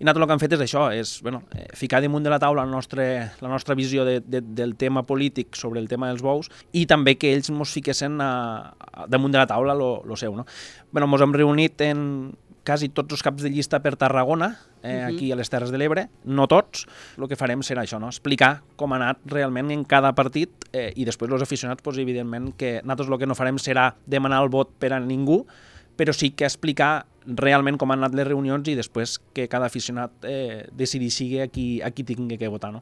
I nosaltres el que hem fet és això, és ficar damunt de la taula la nostra visió del tema polític sobre el tema dels bous i també que ells ens fiquessin damunt de la taula lo seu. No? Ens hem reunit en quasi tots els caps de llista per Tarragona, aquí a les Terres de l'Ebre, no tots. El que farem serà això, no? Explicar com ha anat realment en cada partit i després els aficionats, evidentment, que nosaltres el que no farem serà demanar el vot per a ningú, però sí que explicar realment com han anat les reunions i després que cada aficionat decideixi a qui tingui que votar. No?